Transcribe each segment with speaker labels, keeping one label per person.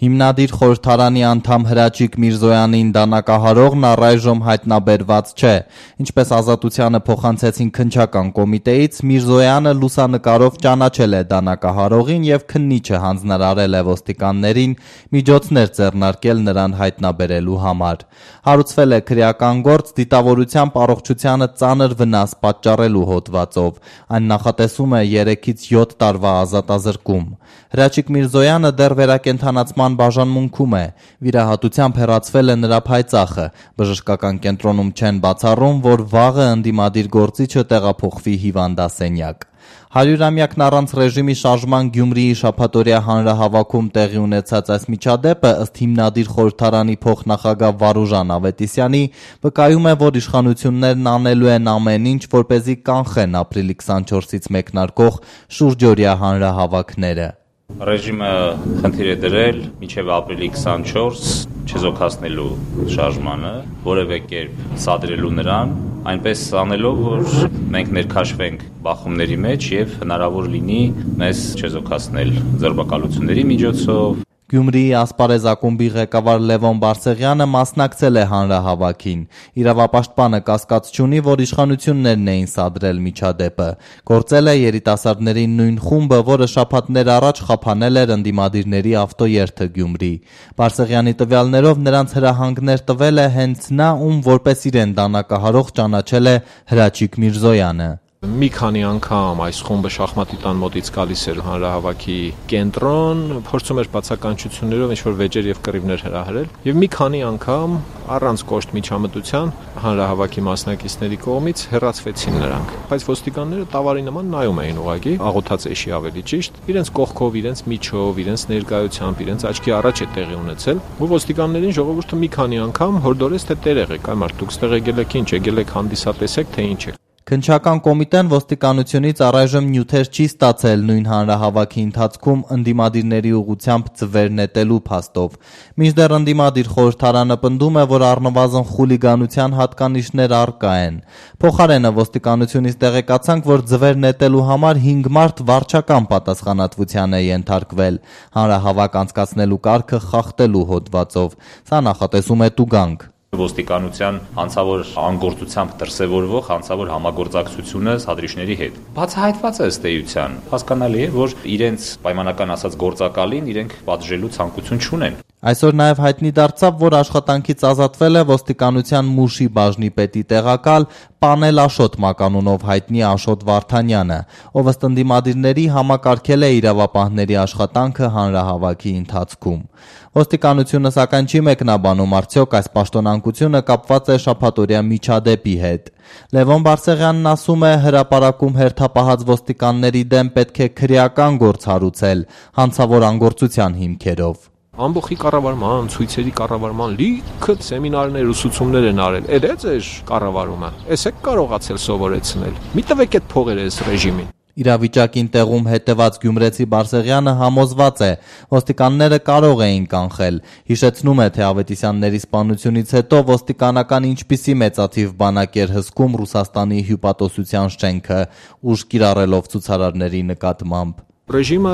Speaker 1: Հիմնադիր խորհրդարանի անդամ Հրաչիկ Միրզոյանին դանակահարողն առայժմ հայտնաբերված չէ։ Ինչպես Ազատությանը փոխանցեցին քննչական կոմիտեից, Միրզոյանը լուսանկարով ճանաչել է դանակահարողին եւ քննիչը հանձնարարել է ոստիկաններին միջոցներ ձեռնարկել նրան հայտնաբերելու համար։ Հարուցվել է քրեական գործ դիտավորությամբ առողջությանը ծանր վնաս պատճառելու հոդվածով։ Այն նախատեսում է 3-ից 7 տարվա ազատազրկում։ Հրաչիկ Միրզոյանը դեռ վերակենդանացման բաժանմունքում է։ Վիրահատությամբ հեռացվել է նրա փայծախը։ Բժշկական կենտրոնում չեն բացառում, որ վաղը ընդդիմադիր գործիչը տեղափոխվի հիվանդասենյակ։ 100-ամյակն առանց ռեժիմի շարժման Գյումրիի շաբաթօրյա հանրահավաքում տեղի ունեցած այս միջադեպը ըստ հիմնադիր խորհրդարանի փոխնախագահ Վարուժան Ավետիսյանի վկայում է, որ իշխանություններն անելու են ամեն ինչ, որպեսզի կանխեն ապրիլի 24-ից մեկնարկող շուրջօրյա հանրահավաքները։
Speaker 2: Ռեժիմը խնդիր է դրել մինչև ապրիլի 24 չեզոքացնելու շարժմանը, որևէ կերպ սադրելու նրան, այնպես անելով, որ մենք ներքաշվենք բախումների մեջ եւ հնարավոր լինի մեզ չեզոքացնել ձերբակալությունների միջոցով։
Speaker 1: Գյումրիի ասպարեզ ակումբի ղեկավար Լևոն Բարսեղյանը մասնակցել է հանրահավաքին։ Իրավապաշտպանը կասկած չունի, որ իշխանություններն էին սադրել միջադեպը։ Գործել է երիտասարդների նույն խումբը, որը շաբաթներ առաջ խափանել էր ընդդիմադիրների ավտոերթը Գյումրի։ Բարսեղյանի տվյալներով նրանց հրահանգներ տվել է հենց նա, ում որպես իրեն դանակահարող ճանաչել է Հրաչիկ Միրզոյանը։
Speaker 3: Մի քանի անգամ այս խումբը շախմատի տան մոտից գալիս էր հանրահավաքի կենտրոն, փորձում էր բացականչություններով ինչ-որ վեճեր եւ կռիվներ հրահրել, եւ մի քանի անգամ առանց կոշտ միջամտության հանրահավաքի մասնակիցների կողմից հեռացվեցին նրանք։ Բայց ոստիկանները տավարի նման նայում էին ուղղակի, աղոթած էշի ավելի ճիշտ, իրենց կողքով, իրենց միջով, իրենց ներկայությամբ, իրենց աչքի առաջ է տեղի ունեցել, ու ոստիկաններին ժողովուրդը մի քանի անգամ հորդորեց, թե տեր եղեք, այ մարդուք ստեղ եկել եք ինչ, եկել եք հանդիսատեսեք, թե ինչ է։
Speaker 1: Քննչական կոմիտեն ոստիկանությունից առայժմ նյութեր չի ստացել նույն հանրահավաքի ընթացքում ընդդիմադիրների ուղղությամբ ձվեր նետելու փաստով։ Մինչդեռ ընդդիմադիր խորհրդարանը պնդում է, որ առնվազն խուլիգանության հատկանիշներ առկա են։ Փոխարենը ոստիկանությունից տեղեկացանք, որ ձվեր նետելու համար 5 մարդ վարչական պատասխանատվության է ենթարկվել հանրահավաք անցկացնելու կարգը խախտելու հոդվածով։ Սա նախատեսում է տուգանք։
Speaker 2: Ոստիկանության հանցավոր անգործությամբ դրսևորվող հանցավոր համագործակցությունը սադրիչների հետ։ Բացահայտված է ըստ էության։ Հասկանալի է, որ իրենց պայմանական ասած գործակալին իրենք պատժելու ցանկություն չունեն։
Speaker 1: Այսօր նաև հայտնի դարձավ, որ աշխատանքից ազատվել է ոստիկանության Մուշի բաժնի պետի տեղակալ Պանել Աշոտ մականունով հայտնի Աշոտ Վարդանյանը, ով ըստ ընդդիմադիրների համակարգել է իրավապահների աշխատանքը հանրահավաքի ընթացքում։ Ոստիկանությունը սակայն չի մեկնաբանում արդյոք այս պաշտոնանկությունը կապված է շաբաթօրյա միջադեպի հետ։ Լևոն Բարսեղյանն ասում է, հրապարակում հերթապահած ոստիկանների դեմ պետք է քրեական գործ հարուցել հանցավոր անգործության հիմքերով։
Speaker 3: Ամբողջի կառավարման, ցույցերի կառավարման լիքը սեմինարներ, ուսուցումներ են արել։ Էդ է կառավարումը։ Էս է կարողացել սովորեցնել։ Մի տվեք այդ փողերը այս ռեժիմին։
Speaker 1: Իրավիճակին տեղում հետևած գյումրեցի Բարսեղյանը համոզված է, ոստիկանները կարող էին կանխել։ Հիշեցնում է, թե Ավետիսյանների սպանությունից հետո ոստիկանական ինչպիսի մեծաթիվ բանակ էր հսկում Ռուսաստանի հյուպատոսության շենքը, ուժ կիրառելով ցուցարարների նկատմամբ։
Speaker 3: Ռեժիմը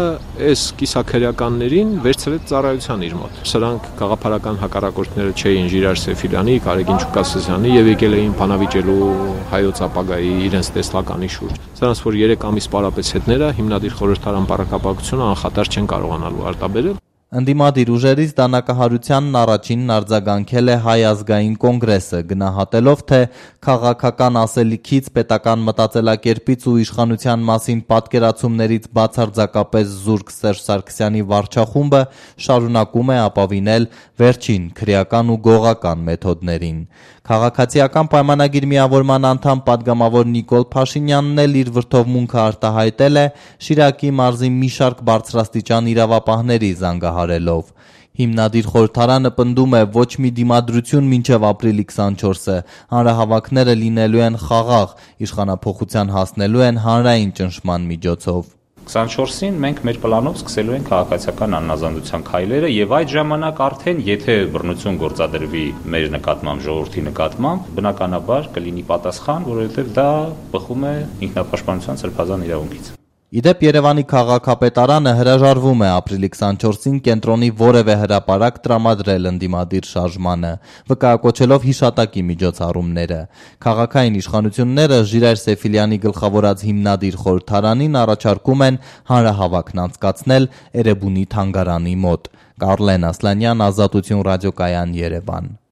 Speaker 3: այս կիսաքրեականներին վերցրեց ծառայության իր մոտ։ Սրանք գաղափարական հակառակորդները չէին Ժիրար Սեֆիլյանի, Կարեգին Չուկասազյանի եւ եկել էին բանավիճելու հայոց ապագայի իրենց տեսլականի շուրջ։ Սրանց որ 3 ամիս պարապեց հետները հիմնադիր խորհրդարան բառակապակցությունը անխատար չեն կարողանալու արտաբերել։
Speaker 1: Ընդդիմադիր ուժերից դանակահարությանն առաջինն արձագանքել է Հայ ազգային կոնգրեսը, գնահատելով, թե քաղաքական ասելիքից, պետական մտածելակերպից ու իշխանության մասին պատկերացումներից բացարձակապես զուրկ Սերժ Սարգսյանի վարչախումբը շարունակում է ապավինել վերջին քրեական ու գողական մեթոդներին։ Քաղաքացիական պայմանագիր միավորման անդամ պատգամավոր Նիկոլ Փաշինյանն էլ իր վրդովմունքը արտահայտել է Շիրակի մարզի մի շարք բարձրաստիճան իրավապահների զանգահարելով։ Հիմնադիր խորհրդարանը պնդում է ոչ մի դիմադրություն մինչև ապրիլի 24-ը, հանրահավաքները լինելու են խաղաղ, իշխանափոխության հասնելու են հանրային ճնշման միջոցով։
Speaker 2: 24-ին մենք մեր պլանով սկսելու ենք քաղաքացիական աննազանդության քայլերը եւ այդ ժամանակ արդեն եթե բռնություն գործադրվի մեր նկատմամբ, ժողովրդի նկատմամբ, բնականաբար կլինի պատասխան, որովհետեւ դա բխում է ինքնապաշտպանության սրբազան իրավունքից։
Speaker 1: Իդեպ Երևանի քաղաքապետարանը հրաժարվում է ապրիլի 24-ին կենտրոնի որևէ հրապարակ տրամադրել ընդդիմադիր շարժմանը, վկայակոչելով հիշատակի միջոցառումները։ Քաղաքային իշխանությունները Ժիրայր Սեֆիլյանի գլխավորած հիմնադիր խորհրդարանին առաջարկում են հանրահավաքն անցկացնել Էրեբունի թանգարանի մոտ։ Կարլեն Ասլանյան, Ազատություն ռադիոկայան, Երևան։